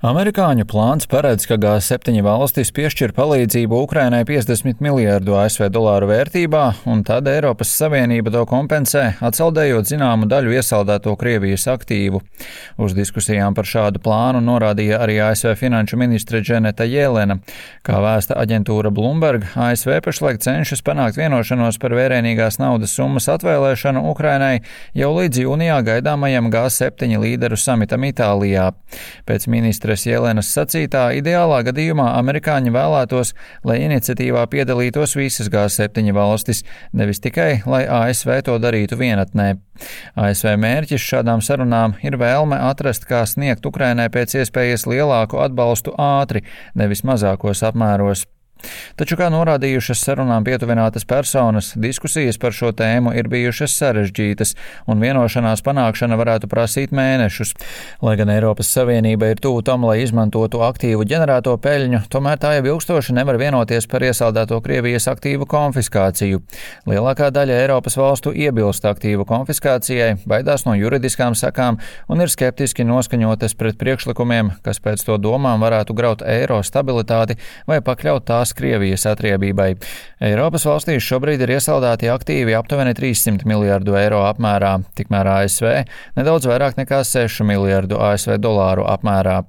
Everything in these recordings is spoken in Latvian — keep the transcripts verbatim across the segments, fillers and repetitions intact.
Amerikāņu plāns paredz, ka G septiņi valstis piešķir palīdzību Ukrainai piecdesmit miljārdu A S V dolāru vērtībā, un tad Eiropas Savienība to kompensē, atsaldējot zināmu daļu iesaldēto Krievijas aktīvu. Uz diskusijām par šādu plānu norādīja arī A S V finanšu ministre Dženeta Jelena. Kā vēsta aģentūra Bloomberg, A S V pašlaik cenšas panākt vienošanos par vērienīgās naudas summas atvēlēšanu Ukrainai jau līdz jūnijā gaidāmajam G septiņi līderu samitam Itālijā. Pēc ministra Jelenas sacītā, ideālā gadījumā amerikāņi vēlētos, lai iniciatīvā piedalītos visas G septiņi valstis, nevis tikai, lai A S V to darītu vienatnē. A S V mērķis šādām sarunām ir vēlme atrast, kā sniegt Ukrainai pēc iespējas lielāku atbalstu ātri, nevis mazākos apmēros. Taču, kā norādījušas sarunām pietuvinātas personas, diskusijas par šo tēmu ir bijušas sarežģītas, un vienošanās panākšana varētu prasīt mēnešus. Lai gan Eiropas Savienība ir tuvu tam, lai izmantotu aktīvu ģenerēto peļņu, tomēr tā jau ilgstoši nevar vienoties par iesaldēto Krievijas aktīvu konfiskāciju. Lielākā daļa Eiropas valstu iebilst aktīvu konfiskācijai, baidās no juridiskām sekām un ir skeptiski noskaņotas pret priekšlikumiem, kas pēc to domām varētu graut eiro stabilitāti vai pakļaut tās Krievijas atriebībai. Eiropas valstīs šobrīd ir iesaldēti aktīvi aptuveni trīssimt miljārdu eiro apmērā, tikmēr A S V nedaudz vairāk nekā sešu miljārdu A S V dolāru apmērā.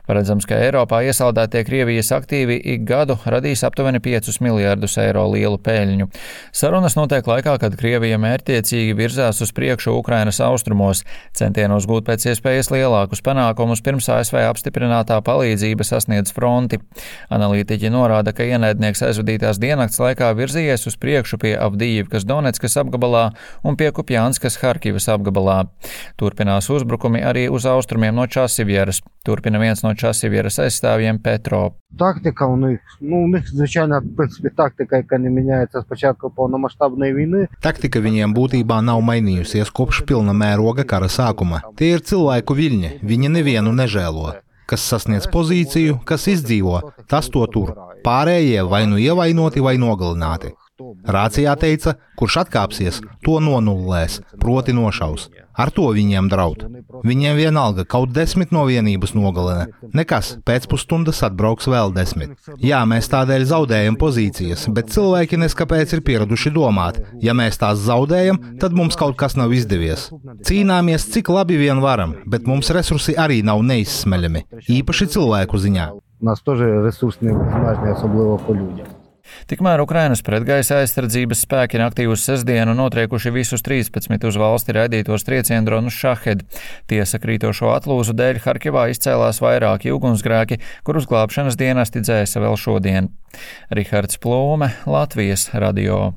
Paredzams, ka Eiropā iesaldētie Krievijas aktīvi ik gadu radīs aptuveni piecus miljārdus eiro lielu peļņu. Sarunas notiek laikā, kad Krievija mērķtiecīgi virzās uz priekšu Ukrainas austrumos, centienos gūt pēc iespējas lielākus panākumus pirms A S V apstiprinātā palīdzība sasniedz fronti. Analītiķi norāda, ka ienaidnieks aizvadītās diennakts laikā virzījies uz priekšu pie Avdijivkas Doneckas apgabalā un pie Kupjanskas Harkivas apgabalā. Turpinās uzbrukumi arī uz austrumiem no Časivjeras. Turpina viens no Časivjeras aizstāvjiem Petro. Тактика у них, ну, у них, звичайно, в принципі, тактика, яка не міняється з початку повномасштабної війни. Taktika viņiem būtībā nav mainījusies kopš pilna mēroga kara sākuma. Tie ir cilvēku viļņi, viņi nevienu nežēlo. Kas sasniedz pozīciju, kas izdzīvo, tas to tur. Pārējie vai nu ievainoti vai nogalināti. Rācijā teica, kurš atkāpsies, to nonullēs, proti nošaus. Ar to viņiem draud. Viņiem vienalga kaut desmit no vienības nogalina. Nekas, pēc pusstundas atbrauks vēl desmit. Jā, mēs tādēļ zaudējam pozīcijas, bet cilvēki neskapēc ir pieraduši domāt. Ja mēs tās zaudējam, tad mums kaut kas nav izdevies. Cīnāmies, cik labi vien varam, bet mums resursi arī nav neizsmeļami, īpaši cilvēku ziņā. Нас теж ресурсні обмеження, особливо по людям. Tikmēr Ukrainas pretgaisa aizsardzības spēki naktī uz sestdienu notriekuši visus trīspadsmit uz valsti raidītos trieciendronus Šahed. Tiesa krītošo atlūzu dēļ Harkivā izcēlās vairāki ugunsgrēki, kurus glābšanas dienesti dzēsa vēl šodien. Rihards Plūme, Latvijas radio.